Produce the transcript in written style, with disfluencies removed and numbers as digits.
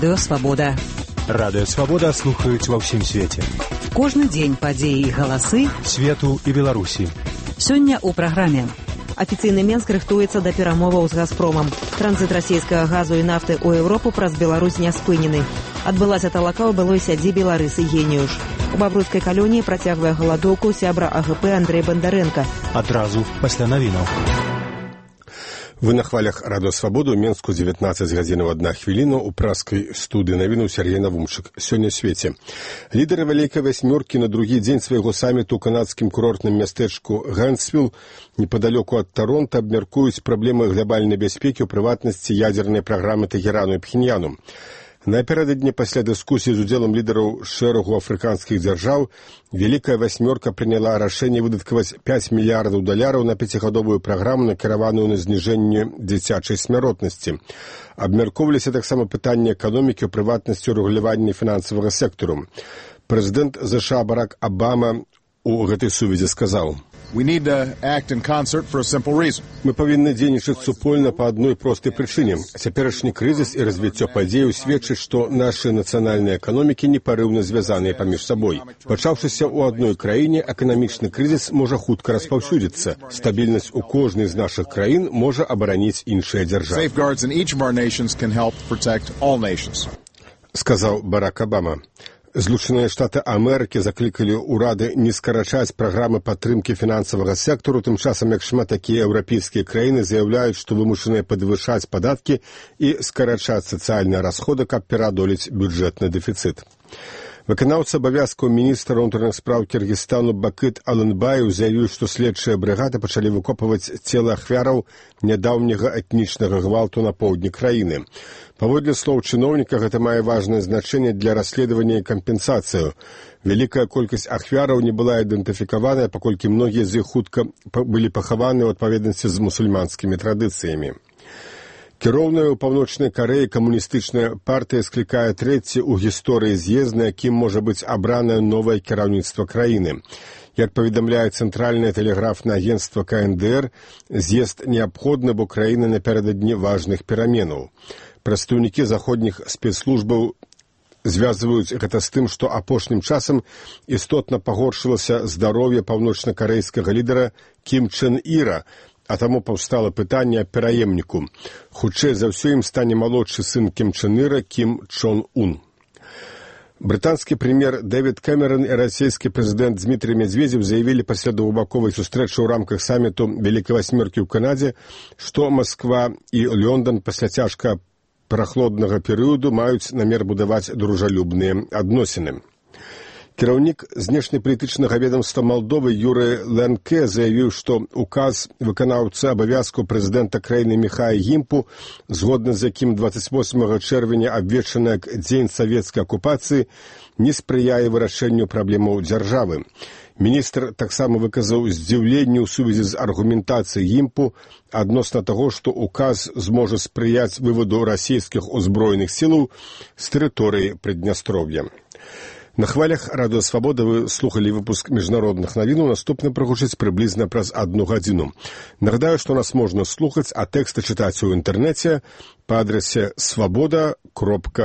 Радыё Свабода. Радыё Свабода слухаюць ва ўсім свеце. Кожны дзень падзеі і галасы свету і Беларусі. Сёння ў праграме. Афіцыйны Менск рыхтуецца да перамоваў з «Газпромам». Транзіт расійскага газу і нафты ў Еўропу праз Беларусь не спынены. Адбылася талака ў былой сядзібе Ларысы Геніюш. У Бабруйскай калоніі працягвае галадоўку сябра АГП Андрэй Бандарэнка. Адразу пасля навінаў. Вы на хвалях Радыё Свабоду, у Менску 19 гадзінаў 1 хвіліна, у праскай студыі навінаў Сергей Навумчык. Сёння ў свеце. Лідары Вялікай васьмёркі на другі дзень свайго саміту ў канадскім курортным мястэчку Гэнсвіл непадалёку ад Таронта абмяркуюць праблемы глобальнай бяспекі, у прыватнасці ядзернай праграмы Тэгерану і Пхеньяну. Напярэдадні пасля дыскусіі з удзелам лідараў шэрагу афрыканскіх дзяржаў Вялікая васьмёрка прыняла рашэнне выдаткаваць $5 мільярдаў на 5гадовую праграму, накіраваную на зніжэнне дзіцячай смяротнасці. Абмяркоўваліся таксама пытанні эканомікі, у прыватнасці рэгулявання фінансавага сектару. Прэзідэнт США Барак Абама у гэтай сувязі сказаў: We need to act in concert for a simple reason. Мы павінны дзейнічаць супольна па адной простай прычыне. Цяперашні крызіс і развіццё падзеяў сведчыць, што нашы нацыянальныя эканомікі непарыўна звязаныя паміж сабой. Пачаўшыся ў адной краіне, эканамічны крызіс можа хутка распаўсюдзіцца. Стабільнасць у кожнай з нашых краін можа абараніць іншыя дзяржавы. Safeguards in each of our nations can help protect all nations. Сказаў Барак Абама. Злучаныя Штаты Амерыкі заклікалі ўрады не скарачаць праграмы падтрымкі фінансавага сектару, тым часам як шмат такія еўрапейскія краіны заяўляюць, што вымушаныя падвышаць падаткі і скарачаць сацыяльныя расходы, каб пераадолець бюджэтны дэфіцыт. Выканаўца абавязкаў міністра ўнутраных спраў Кіргізстану Бакыт Алынбаев заявіў, што следчыя брыгады пачалі выкопваць целы ахвяраў нядаўняга этнічнага гвалту на поўдні краіны. Паводле слоў чыноўніка, гэта мае важнае значэнне для расследавання і кампенсацыю. Вялікая колькасць ахвяраў не была ідэнтыфікаваная, паколькі многія з іх хутка былі пахаваны ў адпаведнасці з мусульманскімі традыцыямі. Кіроўная ў Паўночнай Карэі камуністычная партыя склікае трэці ў гісторыі з'езд, на якім можа быць абранае новае кіраўніцтва краіны. Як паведамляе цэнтральнае тэлеграфнае агенцтва КНДР, з'езд неабходны, бо краіна напярэдадні важных пераменаў. Прадстаўнікі заходніх спецслужбаў звязваюць гэта з тым, што апошнім часам істотна пагоршылася здароўе паўночнакарэйскага лідара Кім Чен Іра, а таму паўстала пытанне аб пераемніку. Хутчэй за ўсё ім стане малодшы сын Кім Чен Іра Кім Чон Ун. Брытанскі прэм'ер Дэвід Кэмерон і расійскі прэзідэнт Дмітрый Медведзеў заявілі пасля двухбаковай сустрэчы ў рамках саміту Вялікай васьмёркі ў Канадзе, што Масква і Лондон пасля цяжка прахладнага перыяду маюць намер будаваць дружалюбныя адносіны. Кіраўнік знешнепалітычнага ведамства Малдовы Юрый Ленке заявіў, што указ выканаўцы абавязкаў прэзідэнта краіны Міхая Гімпу, згодна з якім 28 чэрвеня абвешчаны як дзень савецкай акупацыі, не спрыяе вырашэнню праблемаў дзяржавы. Міністр таксама выказаў здзіўленне ў сувязі з аргументацыяй Гімпу адносна таго, што указ зможа спрыяць вываду расійскіх узброеных сілаў з тэрыторыі Прыднястров'я. На хвалях Радыё Свабода вы слухалі выпуск міжнародных навінаў, наступны прагучыць прыблізна праз 1 гадзіну. Нагадаю, што нас можна слухаць, а тэксты чытаць у інтэрнэце па адрасе swaboda.org.